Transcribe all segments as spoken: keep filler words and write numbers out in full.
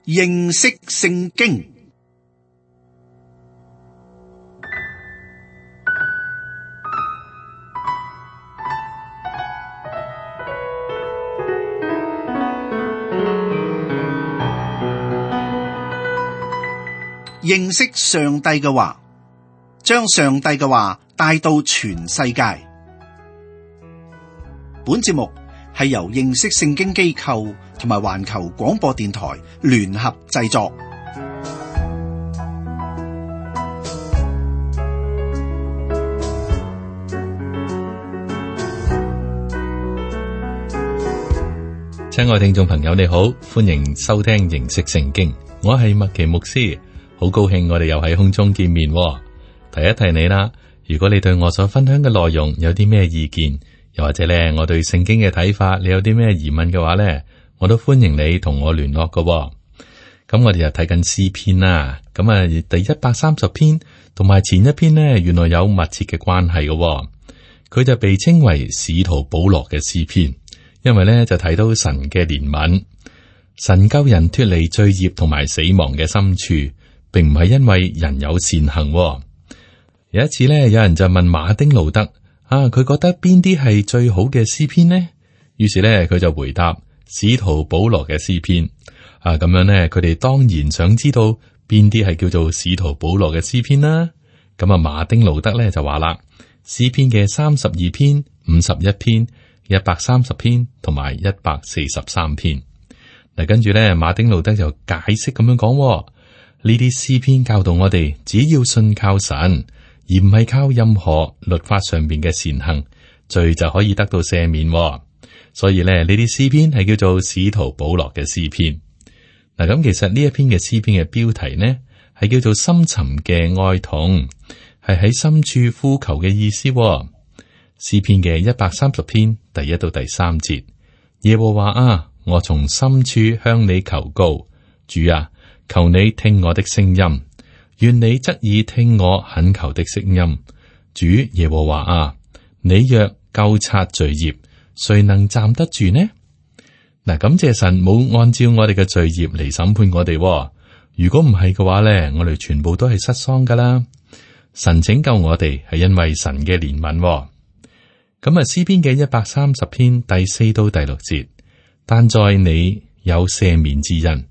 認識聖經。認識上帝嘅話，將上帝嘅話帶到全世界。本節目係由認識聖經機構同埋環球廣播電台聯合製作。親愛聽眾朋友，你好，歡迎收聽認識聖經，我係麥奇牧師。好高興我哋又喺空中見面。提一提你啦，如果你對我所分享嘅內容有啲咩意見，又或者咧我對聖經嘅睇法，你有啲咩疑問嘅話咧，我都歡迎你同我聯絡㗎。咁我哋又睇緊詩篇啦，咁啊第一百三十篇同埋前一篇呢，原來有密切嘅關係嘅。佢就被稱為使徒保羅嘅詩篇，因為咧就睇到神嘅憐憫，神救人脫離罪孽同埋死亡嘅深處。並唔係因為人有善行。有一次咧，有人就問馬丁路德啊，佢覺得邊啲係最好嘅詩篇呢？於是咧，佢就回答使徒保羅嘅詩篇啊。咁樣咧，佢哋當然想知道邊啲係叫做使徒保羅嘅詩篇啦。咁啊，馬丁路德咧就話啦，詩篇嘅三十二篇、五十一篇、一百三十篇同埋一百四十三篇。嗱，跟住咧，馬丁路德就解釋咁樣講。呢啲詩篇教導我哋，只要信靠神，而唔係靠任何律法上邊嘅善行，罪就可以得到赦免。所以咧，呢啲詩篇係叫做使徒保羅嘅詩篇。嗱，咁其實呢一篇嘅詩篇嘅標題呢，係叫做深沉嘅哀痛，係喺深處呼求嘅意思。詩篇嘅一百三十篇第一到第三節，耶和華啊，我從深處向你求告，主啊，求你聽我的聲音，願你側耳聽我懇求的聲音。主耶和華啊，你若究察罪孽，誰能站得住呢？嗱，感謝神冇按照我哋嘅罪孽嚟審判我哋。如果唔係嘅話咧，我哋全部都係失喪噶啦。神拯救我哋係因為神嘅憐憫。咁啊，詩篇嘅一百三十篇第四到第六節，但在你有赦免之恩，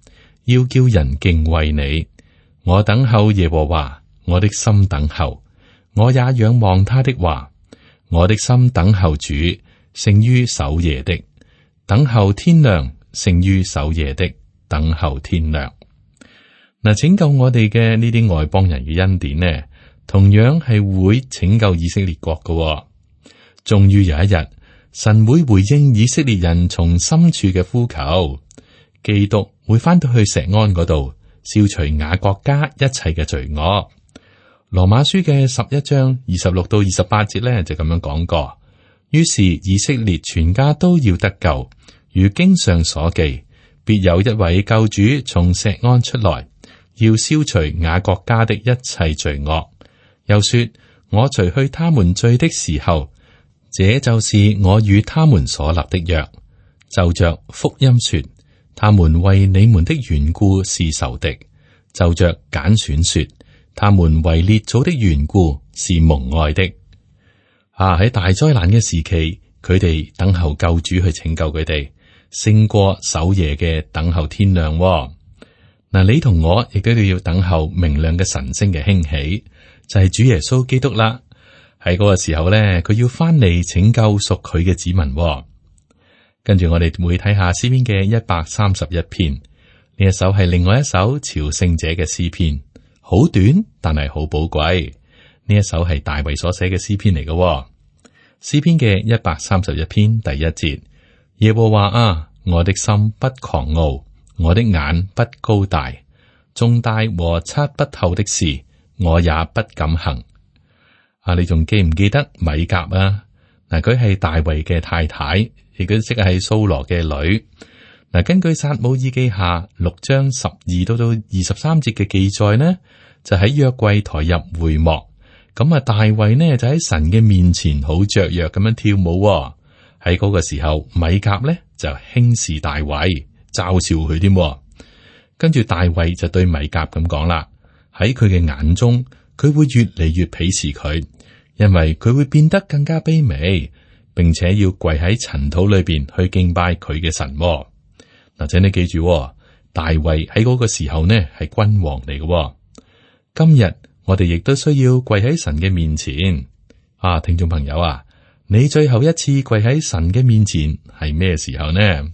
要叫人敬畏你。我等候耶和華，我的心等候，我也仰望他的話。我的心等候主，勝於守夜的；等候天亮，勝於守夜的；等候天亮。嗱，拯救我哋嘅呢啲外邦人嘅恩典呢，同樣係會拯救以色列國嘅。終於有一日，神會回應以色列人從深處嘅呼求。基督會翻到去錫安嗰度，消除雅各家一切嘅罪惡。羅馬書嘅十一章二十六到二十八節咧就咁樣講過。於是以色列全家都要得救，如經上所記，必有一位救主從錫安出來，要消除雅各家的一切罪惡。又說，我除去他們罪的時候，這就是我與他們所立的約。就着福音說，他們為你們的緣故是仇敵；就着揀選說，他們為列祖的緣故是蒙愛的。啊！喺大災難嘅時期，佢哋等候救主去拯救佢哋，勝過守夜嘅等候天亮。嗱、啊，你同我亦都要等候明亮嘅晨星嘅興起，就係、是、主耶穌基督啦。喺嗰個時候咧，佢要翻嚟拯救屬佢嘅子民。跟住我哋會睇下詩篇嘅一百三十一篇，呢一首係另外一首朝聖者嘅詩篇，好短但係好寶貴。呢一首係大衛所寫嘅詩篇嚟嘅。詩篇嘅一百三十一篇第一節，耶和華啊，我的心不狂傲，我的眼不高大，重大和測不透的事，我也不敢行。啊，你仲記唔記得米甲啊？嗱，佢係大衛嘅太太。亦都即係掃羅嘅女。嗱，根據撒母耳記下六章十二到到二十三節嘅記載呢，就喺約櫃抬入會幕，咁啊大衛呢就喺神嘅面前好雀躍咁樣跳舞。喺嗰個時候，米甲呢就輕視大衛，嘲笑佢添。咁跟住大衛就對米甲咁講啦，喺佢嘅眼中，佢會越嚟越鄙視佢，因為佢會變得更加卑微，並且要跪喺塵土裏邊去敬拜佢嘅神。嗱，請你記住，大衛喺嗰個時候呢係君王嚟嘅。今日我哋亦都需要跪喺神嘅面前。啊，聽眾朋友啊，你最後一次跪喺神嘅面前係咩時候呢？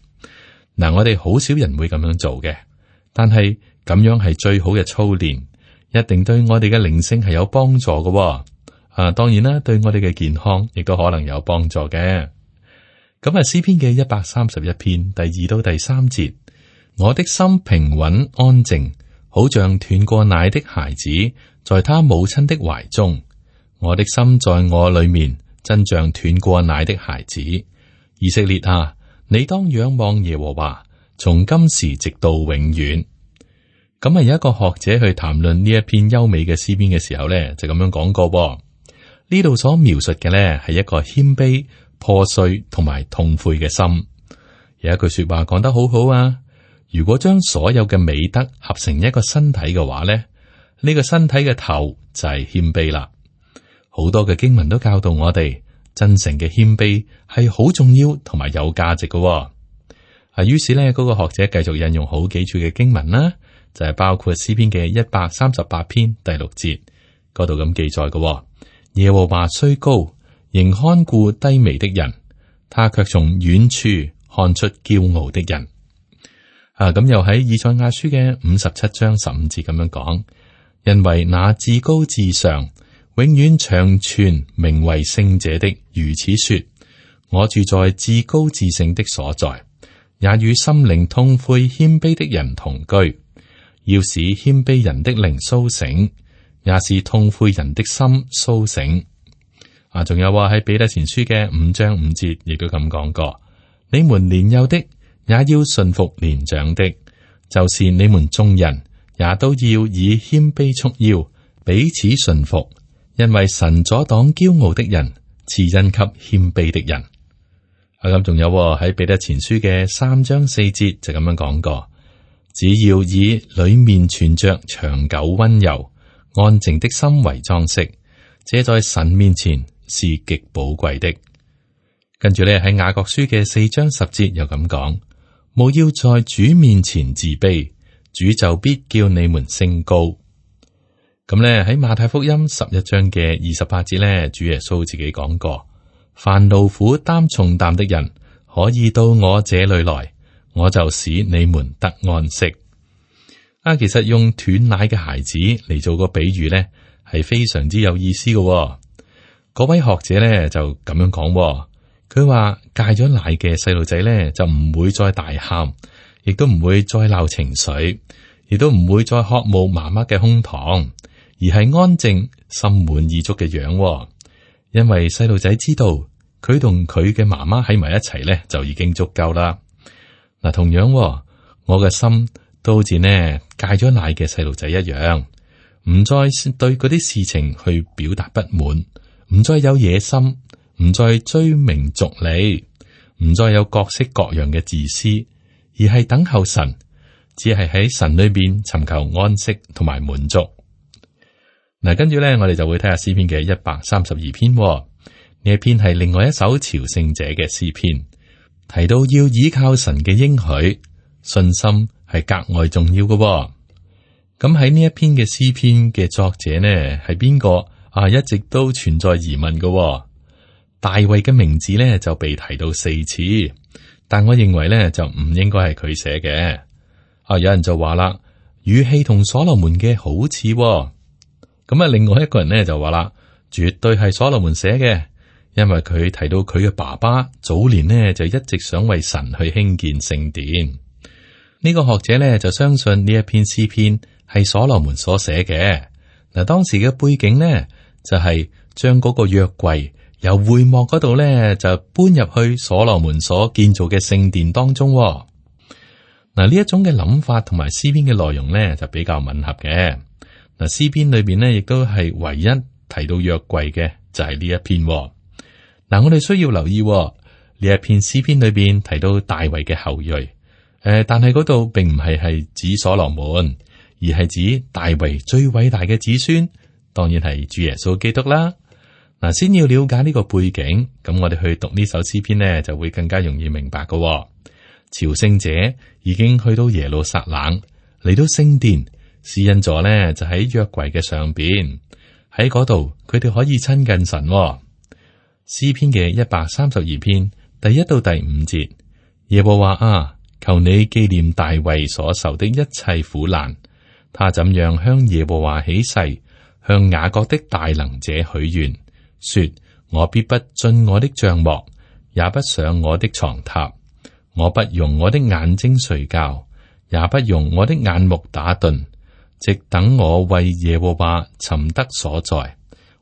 嗱，我哋好少人會咁樣做嘅，但係咁樣係最好嘅操練，一定對我哋嘅靈性係有幫助嘅。啊，當然啦，對我哋嘅健康亦都可能有幫助嘅。咁啊，詩篇嘅一百三十一篇第二到第三節，我的心平穩安靜，好像斷過奶的孩子，在他母親的懷中。我的心在我裏面，真像斷過奶的孩子。以色列啊，你當仰望耶和華，從今時直到永遠。咁啊，有一個學者去談論呢一篇優美嘅詩篇嘅時候呢，就咁樣講過。呢度所描述嘅呢，係一個謙卑、破碎同埋痛悔嘅心。有一句說話講得好好啊，如果將所有嘅美德合成一個身體嘅話呢，呢、呢個身體嘅頭就係謙卑啦。好多嘅經文都教導我哋，真誠嘅謙卑係好重要同埋有價值嘅。啊，於是呢，嗰、嗰個學者繼續引用好幾處嘅經文啦，就係、是、包括詩篇嘅一百三十八篇第六節嗰度咁記載嘅。耶和華雖高，仍看顧低微的人，他卻從遠處看出驕傲的人。啊，咁又喺以賽亞書嘅五十七章十五節咁樣講，因為那至高至上，永遠長存名為聖者的如此說：我住在至高至聖的所在，也與心靈痛悔謙卑的人同居，要使謙卑人的靈甦醒，也是痛悔人的心甦醒。啊，仲有話喺彼得前書嘅五章五節，亦都咁講過：你們年幼的也要順服年長的，就是你們眾人也都要以謙卑束腰，彼此順服。因為神阻擋驕傲的人，賜恩給謙卑的人。啊，咁仲有喺彼得前書嘅三章四節就咁樣講過：只要以裏面存着長久溫柔安靜的心為裝飾，這在神面前是極寶貴的。跟住咧喺雅各書嘅四章十節又咁講：務要在主面前自卑，主就必叫你們升高。咁咧喺馬太福音十一章嘅二十八節咧，主耶穌自己講過：凡勞苦擔重擔的人，可以到我這裏來，我就使你們得安息。啊，其實用斷奶嘅孩子嚟做個比喻咧，係非常之有意思嘅、哦。嗰位學者咧就咁樣講、哦，佢話戒咗奶嘅細路仔咧就唔會再大喊，亦都唔會再鬧情緒，亦都唔會再渴慕媽媽嘅胸膛。而係安靜、心滿意足嘅樣、哦，因為細路仔知道佢同佢嘅媽媽喺埋一齊咧，就已經足夠啦。嗱，同樣、哦、我嘅心都好似呢戒咗奶嘅細路仔一樣，唔再對嗰啲事情去表達不滿，唔再有野心，唔再追名逐利，唔再有各式各樣嘅自私，而係等候神，只係喺神裏邊尋求安息同埋滿足。嗱，跟住咧，我哋就會睇下詩篇嘅一百三十二篇、哦。呢一篇係另外一首朝聖者嘅詩篇，提到要依靠神嘅應許，信心係格外重要嘅、哦。咁喺呢一篇嘅詩篇嘅作者呢係邊個啊？一直都存在疑問嘅、哦。大衛嘅名字咧就被提到四次，但我認為咧就唔應該係佢寫嘅。啊，有人就話啦，語氣同所羅門嘅好似、哦。咁啊，另外一個人咧就話啦，絕對係所羅門寫嘅，因為佢提到佢嘅爸爸早年呢就一直想為神去興建聖殿。呢個學者咧就相信呢一篇詩篇係所羅門所寫嘅。嗱，當時嘅背景呢就係將嗰個約櫃由會幕嗰度咧就搬入去所羅門所建造嘅聖殿當中。嗱，呢一種嘅諗法同埋詩篇嘅內容咧就比較吻合嘅。嗱，詩篇裏邊咧，亦都係唯一提到約櫃嘅，就係、是、呢一篇、哦。嗱，我哋需要留意呢、哦、一篇詩篇裏邊提到大衛嘅後裔，誒，誒，但係嗰度並唔係係指所羅門，而係指大衛最偉大嘅子孫，當然係主耶穌基督啦。嗱，先要了解呢個背景，咁我哋去讀呢首詩篇呢，就會更加容易明白嘅。朝聖者已經去到耶路撒冷，嚟到聖殿，施恩座呢就喺約櫃嘅上邊，喺嗰度佢哋可以親近神。詩篇嘅一百三十二篇第一到第五節，耶和華啊，求你紀念大衛所受的一切苦難，他怎樣向耶和華起誓，向雅各的大能者許願，說：我必不進我的帳幕，也不上我的床榻，我不用我的眼睛睡覺，也不用我的眼目打盹，直等我為耶和華尋得所在，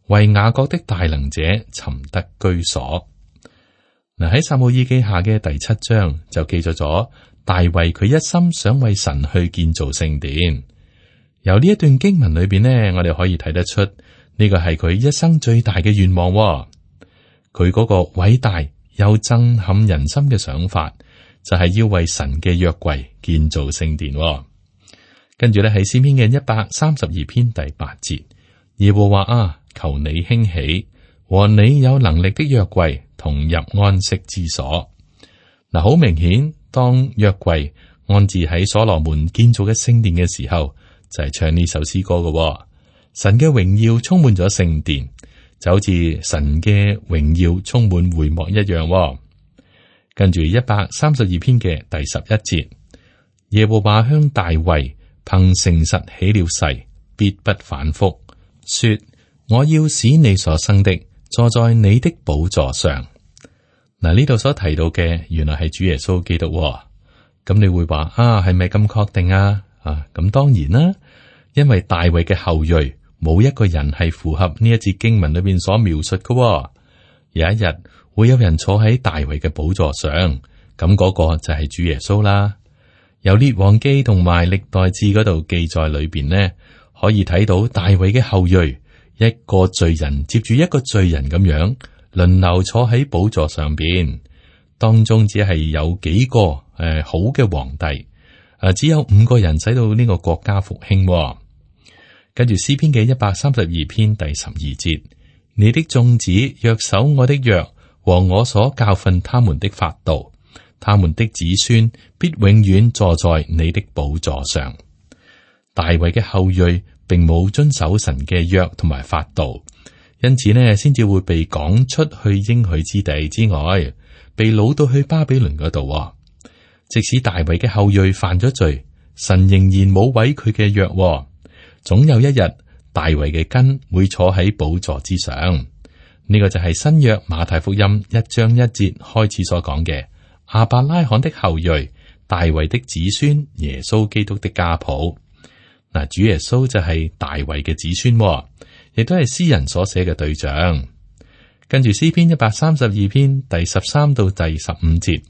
為雅各的大能者尋得居所。嗱，喺撒母耳記下嘅第七章就記載咗大衛佢一心想為神去建造聖殿。由呢一段經文裏邊呢，我哋可以睇得出呢個係佢一生最大嘅願望。佢嗰個偉大又震撼人心嘅想法，就係要為神嘅約櫃建造聖殿。跟住咧係詩篇嘅一百三十二篇第八節，耶和華啊，求你興起，和你有能力的約櫃同入安息之所。嗱，好明顯，當約櫃安置喺所羅門建造嘅聖殿嘅時候，就係唱呢首詩歌嘅。神嘅榮耀充滿咗聖殿，就好似神嘅榮耀充滿會幕一樣。跟住一百三十二篇嘅第十一節，耶和華向大衛憑誠實起了誓，必不反覆，說：我要使你所生的坐在你的寶座上。嗱，呢度所提到嘅原來係主耶穌基督。咁你會話啊，係咪咁確定啊？啊，咁當然啦，因為大衛嘅後裔冇一個人係符合呢一節經文裏邊所描述嘅。有一日會有人坐喺大衛嘅寶座上，咁嗰個就係主耶穌啦。由列王記同埋歷代志嗰度記載裏邊呢，可以睇到大衛嘅後裔一個罪人接住一個罪人咁樣輪流坐喺寶座上邊，當中只係有幾個誒、呃、好嘅皇帝，誒、呃、只有五個人使到呢個國家復興、哦。跟住詩篇嘅一百三十二篇第十二節，你的眾子若守我的約和我所教訓他們的法度，他們的子孫必永遠坐在你的寶座上。大衛嘅後裔並冇遵守神嘅約同埋法度，因此呢，先至會被趕出去應許之地之外，被擄到去巴比倫嗰度。即使大衛嘅後裔犯咗罪，神仍然冇毀佢嘅約。總有一日，大衛嘅根會坐喺寶座之上。呢、這個就係新約馬太福音一章一節開始所講嘅亞伯拉罕的後裔，大衛的子孫，耶穌基督的家譜。嗱，主耶穌就係大衛嘅子孫，亦都係詩人所寫嘅對象。跟住詩篇一百三十二篇第十三到第十五節，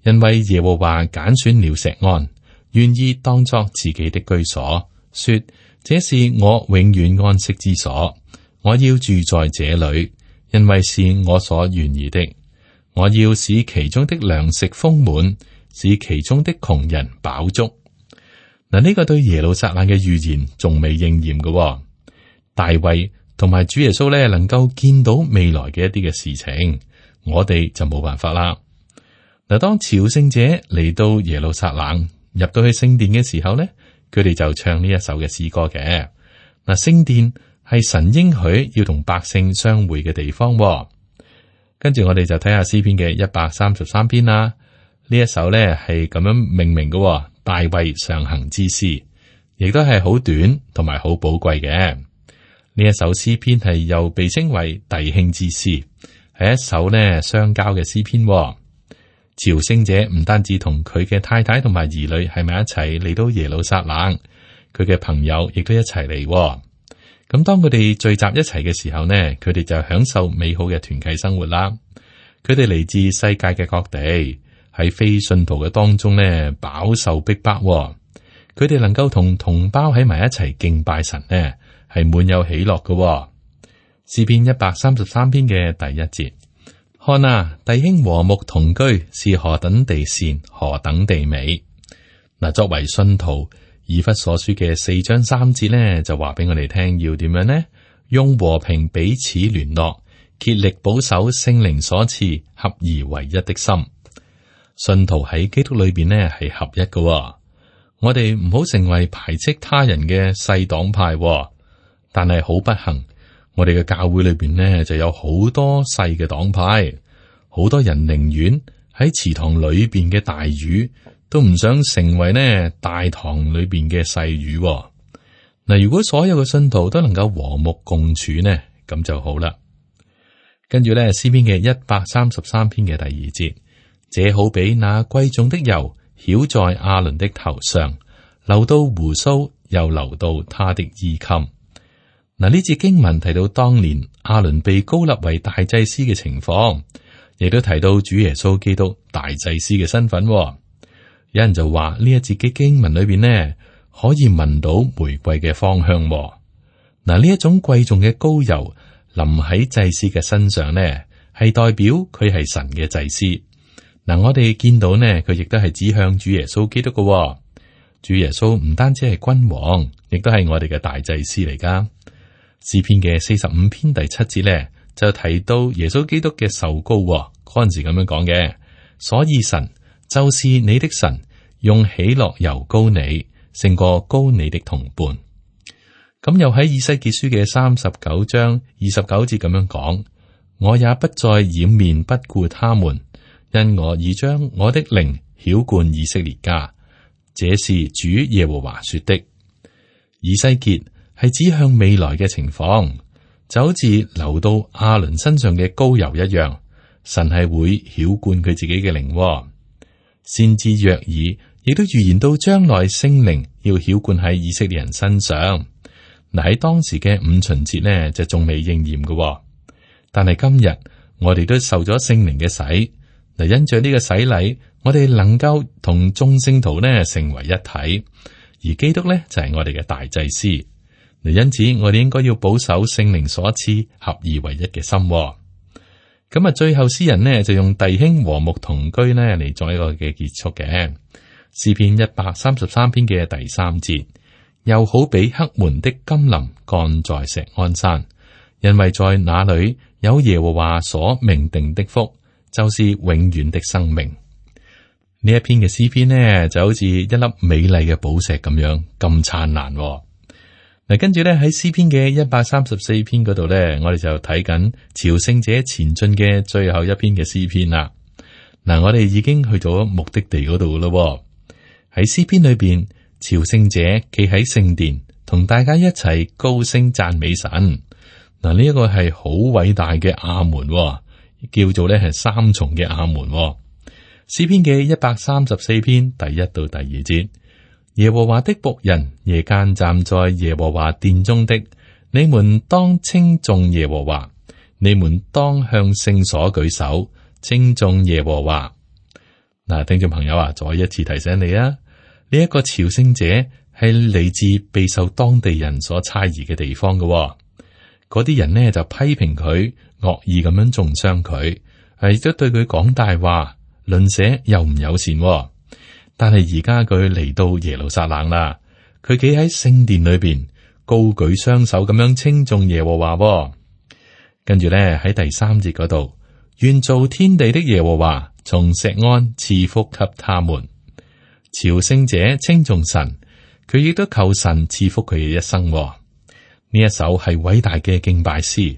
因為耶和華揀選了錫安，願意當作自己的居所，說：這是我永遠安息之所，我要住在這裏，因為是我所願意的。我要使其中的糧食豐滿，使其中的窮人飽足。嗱，呢個對耶路撒冷嘅預言仲未應驗嘅。大衛同埋主耶穌咧，能夠見到未來嘅一啲嘅事情，我哋就冇辦法啦。嗱，當朝聖者嚟到耶路撒冷，入到去聖殿嘅時候咧，佢哋就唱呢一首嘅詩歌嘅。嗱，聖殿係神應許要同百姓相會嘅地方。跟住我哋就睇下詩篇嘅一百三十三篇啦。呢一首咧係咁樣命名嘅，大衛上行之詩，亦都係好短同埋好寶貴嘅。呢一首詩篇係又被稱為弟兄之詩，係一首呢相交嘅詩篇。朝聖者唔單止同佢嘅太太同埋兒女係咪一齊嚟到耶路撒冷，佢嘅朋友亦都一齊嚟。咁當佢哋聚集一齊嘅時候呢，佢哋就享受美好嘅團契生活啦。佢哋嚟自世界嘅各地，喺非信徒嘅當中呢，飽受逼迫。佢哋能夠同同胞喺埋一齊敬拜神呢，係滿有喜樂嘅。詩篇一百三十三篇嘅第一節，看啊，弟兄和睦同居是何等地善，何等地美。嗱，作為信徒，以弗所書嘅四章三節呢，就話俾我哋聽要點樣呢？用和平彼此聯絡，竭力保守聖靈所賜合而為一的心。信徒喺基督裏邊呢係合一嘅、哦。我哋唔好成為排斥他人嘅細黨派、哦，但係好不幸，我哋嘅教會裏邊呢就有好多細嘅黨派，好多人寧願喺池塘裏邊嘅大魚，都唔想成為呢大塘裏邊嘅細魚、哦。嗱，如果所有嘅信徒都能夠和睦共處呢，咁就好啦。跟住咧，詩篇嘅一百三十三篇嘅第二節，這好比那貴重的油澆在亞倫的頭上，流到鬍鬚，又流到他的衣襟。嗱，呢節經文提到當年亞倫被膏立為大祭司嘅情況，亦都提到主耶穌基督大祭司嘅身份、哦。有人就話呢一節嘅經文裏邊呢，可以聞到玫瑰嘅芳香、哦。嗱，呢一種貴重嘅膏油淋喺祭司嘅身上呢，係代表佢係神嘅祭司。嗱，我哋見到呢，佢亦都係指向主耶穌基督嘅、哦。主耶穌唔單止係君王，亦都係我哋嘅大祭司嚟噶。詩篇嘅四十五篇第七節呢，就提到耶穌基督嘅受膏、哦，嗰陣時咁樣講嘅。所以神就是你的神，用喜樂油膏你，勝過膏你的同伴。咁又喺以西結書嘅三十九章二十九節咁樣講：我也不再掩面不顧他們，因我已將我的靈澆灌以色列家。這是主耶和華說的。以西結係指向未來嘅情況，就好似流到亞倫身上嘅膏油一樣，神係會澆灌佢自己嘅靈、哦。先知約珥亦都預言到將來聖靈要澆灌喺以色列人身上。嗱，喺當時嘅五旬節呢，就仲未應驗嘅、哦，但係今日我哋都受咗聖靈嘅洗。嗱，因着呢個洗禮，我哋能夠同眾聖徒呢成為一體，而基督呢就係、是、我哋嘅大祭司。嗱，因此我哋應該要保守聖靈所賜合而為一嘅心、哦。咁啊，最後詩人呢就用弟兄和睦同居呢嚟作一個嘅結束嘅。詩篇一百三十三篇嘅第三節，又好比黑門的甘霖降在錫安山，因為在那裏有耶和華所命定的福，就是永遠的生命。呢一篇嘅詩篇呢，就好似一粒美麗嘅寶石咁樣咁燦爛、哦。嗱，跟住咧喺詩篇嘅一百三十四篇嗰度咧，我哋就睇緊朝聖者前進嘅最後一篇嘅詩篇啦。嗱，我哋已經去咗目的地嗰度咯。喺詩篇裏邊，朝聖者企喺聖殿，同大家一齊高聲讚美神。嗱，呢一個係好偉大嘅阿門、哦，叫做咧係三重嘅阿門、哦。詩篇嘅一百三十四篇第一到第二節。耶和華的僕人，夜間站在耶和華殿中的，你們當稱頌耶和華，你們當向聖所舉手，稱頌耶和華。嗱，聽眾朋友啊，再一次提醒你啊，呢、這、一個朝聖者係嚟自備受當地人所猜疑嘅地方嘅、哦，嗰啲人呢就批評佢，惡意咁樣中傷佢，係都對佢講大話，鄰舍又唔友善、哦。但係而家佢嚟到耶路撒冷啦，佢企喺聖殿裏邊，高舉雙手咁樣稱頌耶和華、哦。跟住咧喺第三節嗰度，願造天地的耶和華從錫安賜福給他們。朝聖者稱頌神，佢亦都求神賜福佢嘅一生、哦。呢一首係偉大嘅敬拜詩，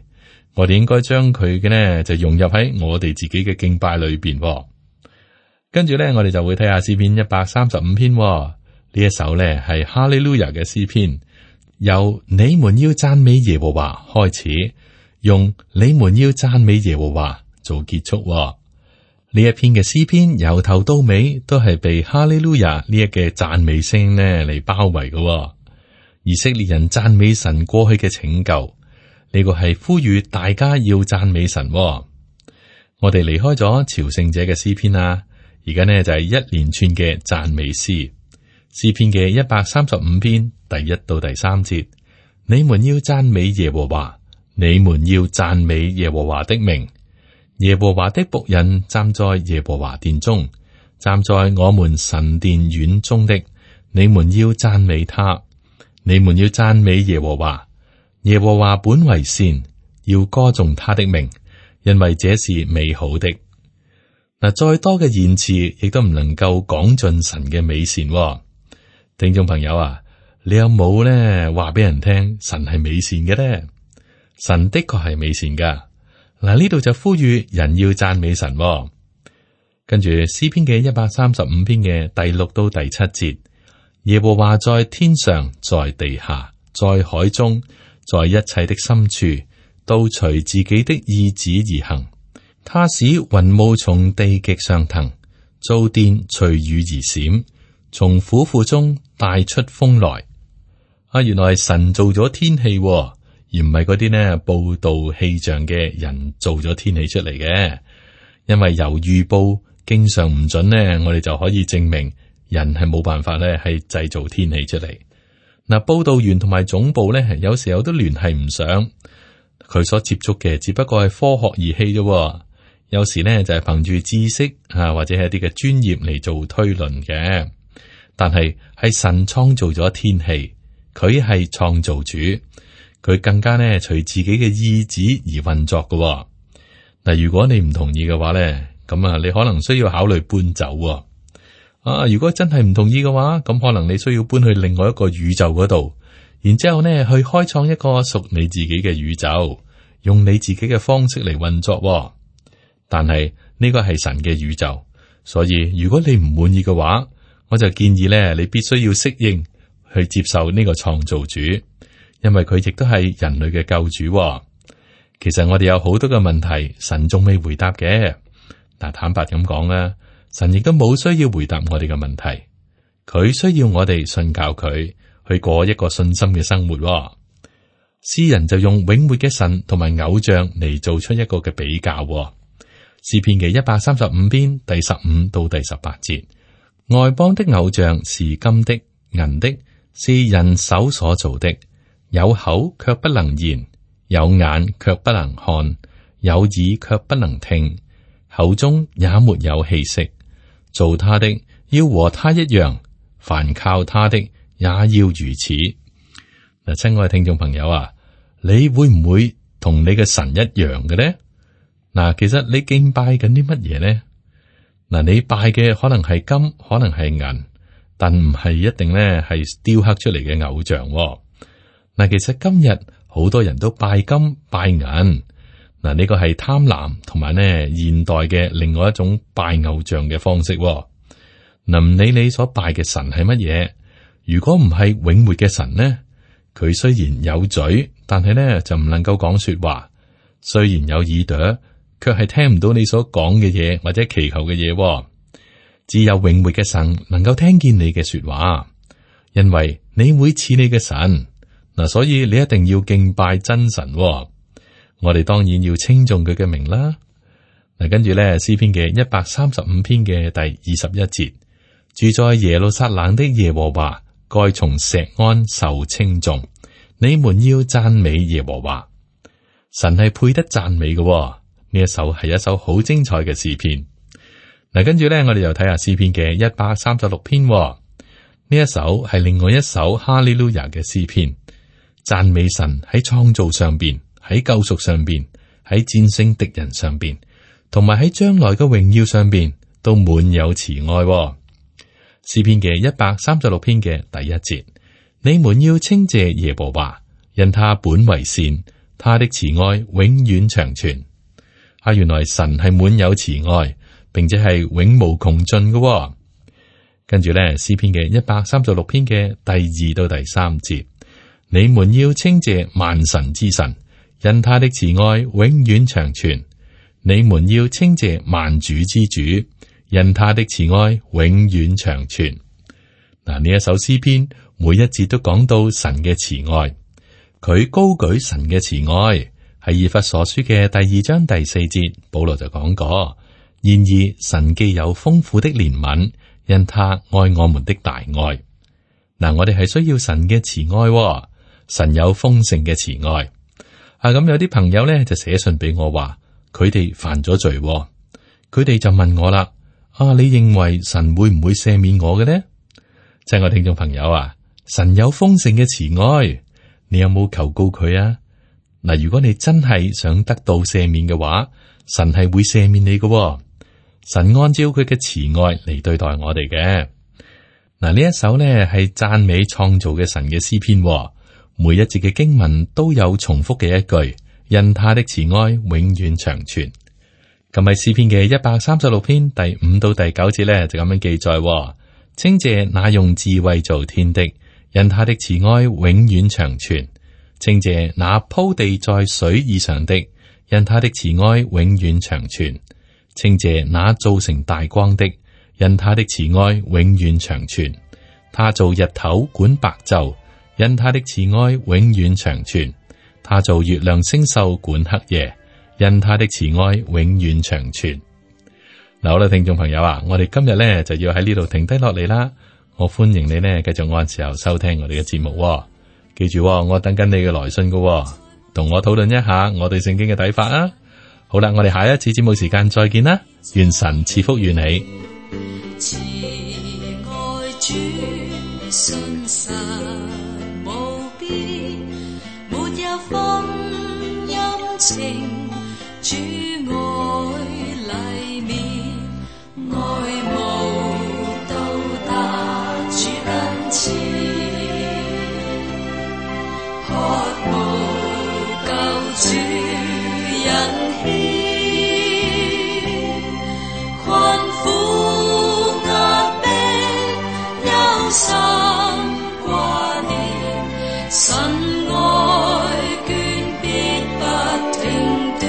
我哋應該將佢嘅呢就融入喺我哋自己嘅敬拜裏邊、哦。跟住咧，我哋就會睇下詩篇一百三十五篇、哦、呢一首咧係哈利路亞嘅詩篇，由你們要讚美耶和華開始，用你們要讚美耶和華做結束、哦。呢一篇嘅詩篇由頭到尾都係被哈利路亞呢一嘅讚美聲呢嚟包圍嘅、哦。以色列人讚美神過去嘅拯救，呢、這個係呼籲大家要讚美神、哦。我哋離開咗朝聖者嘅詩篇啊。而家呢就係、是、一連串嘅讚美詩，詩篇嘅一百三十五篇第一到第三節，你們要讚美耶和華，你們要讚美耶和華的名。耶和華的僕人站在耶和華殿中，站在我們神殿院中的，你們要讚美他，你們要讚美耶和華。耶和華本為善，要歌頌他的名，因為這是美好的。嗱，再多嘅言辭亦都唔能夠講盡神嘅美善。聽眾朋友啊，你有冇咧話俾人聽神係美善嘅咧？神的確係美善噶。嗱，呢度就呼籲人要讚美神。跟住詩篇嘅一百三十五篇嘅第六到第七節，耶和華在天上，在地下，在海中，在一切的深處，都隨自己的意旨而行。他使雲霧從地極上騰，造電隨雨而閃，從府庫中帶出風來。啊，原來神做咗天氣，而唔係嗰啲呢報道氣象嘅人做咗天氣出嚟嘅。因為由預報經常唔準呢，我哋就可以證明人係冇辦法咧係製造天氣出嚟。嗱，報道員同埋總部咧，有時候都聯繫唔上，佢所接觸嘅只不過係科學儀器啫。有時呢，就係憑住知識啊，或者係一啲嘅專業嚟做推論嘅。但係係神創造咗天氣，佢係創造主，佢更加呢隨自己嘅意志而運作嘅。嗱，如果你唔同意嘅話咧，咁啊，你可能需要考慮搬走啊。如果真係唔同意嘅話，咁可能你需要搬去另外一個宇宙嗰度，然之後呢去開創一個屬你自己嘅宇宙，用你自己嘅方式嚟運作。但係呢個係神嘅宇宙，所以如果你唔滿意嘅話，我就建議咧，你必須要適應去接受呢個創造主，因為佢亦都係人類嘅救主。其實我哋有好多嘅問題，神仲未回答嘅。但坦白咁講啦，神亦都冇需要回答我哋嘅問題，佢需要我哋信靠佢，去過一個信心嘅生活。詩人就用永活嘅神同埋偶像嚟做出一個嘅比較。詩篇嘅一百三十五篇第十五到第十八節，外邦的偶像是金的、銀的，是人手所造的，有口卻不能言，有眼卻不能看，有耳卻不能聽，口中也沒有氣息。做他的要和他一樣，凡靠他的也要如此。嗱，親愛嘅聽眾朋友啊，你會唔會同你嘅神一樣嘅呢？嗱，其實你敬拜緊啲乜嘢呢？嗱，你拜嘅可能係金，可能係銀，但唔係一定咧係雕刻出嚟嘅偶像。嗱，其實今日好多人都拜金拜銀，嗱，呢個係貪婪同埋咧現代嘅另外一種拜偶像嘅方式。嗱，唔理你所拜嘅神係乜嘢，如果唔係永活嘅神呢，佢雖然有嘴，但係咧就唔能夠講說話；雖然有耳朵，卻係聽唔到你所講嘅嘢或者祈求嘅嘢。只有永活嘅神能夠聽見你嘅說話，因為你會似你嘅神嗱，所以你一定要敬拜真神。我哋當然要稱頌佢嘅名啦。嗱，跟住咧詩篇嘅一百三十五篇嘅第二十一節，住在耶路撒冷的耶和華，該從錫安受稱頌。你們要讚美耶和華，神係配得讚美嘅。呢一首係一首好精彩嘅詩篇。嗱，跟住咧，我哋又睇下詩篇嘅一百三十六篇。呢一首係另外一首哈利路亞嘅詩篇，讚美神喺創造上邊，喺救贖上邊，喺戰勝敵人上邊，同埋喺將來嘅榮耀上邊，都滿有慈愛。詩篇嘅一百三十六篇嘅第一節，你們要稱謝耶和華，因他本為善，他的慈愛永遠長存。啊，原來神係滿有慈愛，並且係永無窮盡嘅。跟住咧，詩篇嘅一百三十六篇嘅第二到第三節，你們要稱謝萬神之神，因他的慈愛永遠長存。你們要稱謝萬主之主，因他的慈愛永遠長存。嗱，呢一首詩篇每一節都講到神嘅慈愛，佢高舉神嘅慈愛。喺以弗所書嘅第二章第四節，保羅就講過：然而神既有豐富的憐憫，因他愛我們的大愛。嗱，我哋係需要神嘅慈愛，神有豐盛嘅慈愛。啊，咁有啲朋友咧就寫信俾我話，佢哋犯咗罪，佢哋就問我啦：啊，你認為神會唔會赦免我嘅呢？親愛聽眾朋友啊，神有豐盛嘅慈愛，你有冇求告佢啊？嗱，如果你真係想得到赦免嘅話，神係會赦免你嘅喎。神按照佢嘅慈愛嚟對待我哋嘅。嗱，呢一首呢係讚美創造嘅神嘅詩篇喎，每一節嘅經文都有重複嘅一句，因他的慈愛永遠長存。咁喺詩篇嘅一百三十六篇第五到第九節呢，就咁樣記載喎，稱謝那用智慧造天的，因他的慈愛永遠長存。稱謝那鋪地在水以上的，因他的慈愛永遠長存。稱謝那造成大光的，因他的慈愛永遠長存。他造日頭管白晝，因他的慈愛永遠長存。他造月亮星宿管黑夜，因他的慈愛永遠長存。嗱，好啦，聽眾朋友啊，我哋今日咧就要喺呢度停低落嚟啦。我歡迎你呢繼續按時候收聽我哋嘅節目喎。記住喎，我等緊你嘅來信噶喎，同我討論一下我對聖經嘅睇法啊。好啦，我哋下一次節目時間再見啦，願神賜福與你。慈愛主信實無邊，沒有風陰晴，主愛黎面，愛慕到達主跟前，渴慕救主引牽，困苦壓迫憂心掛念，神愛眷必不停斷。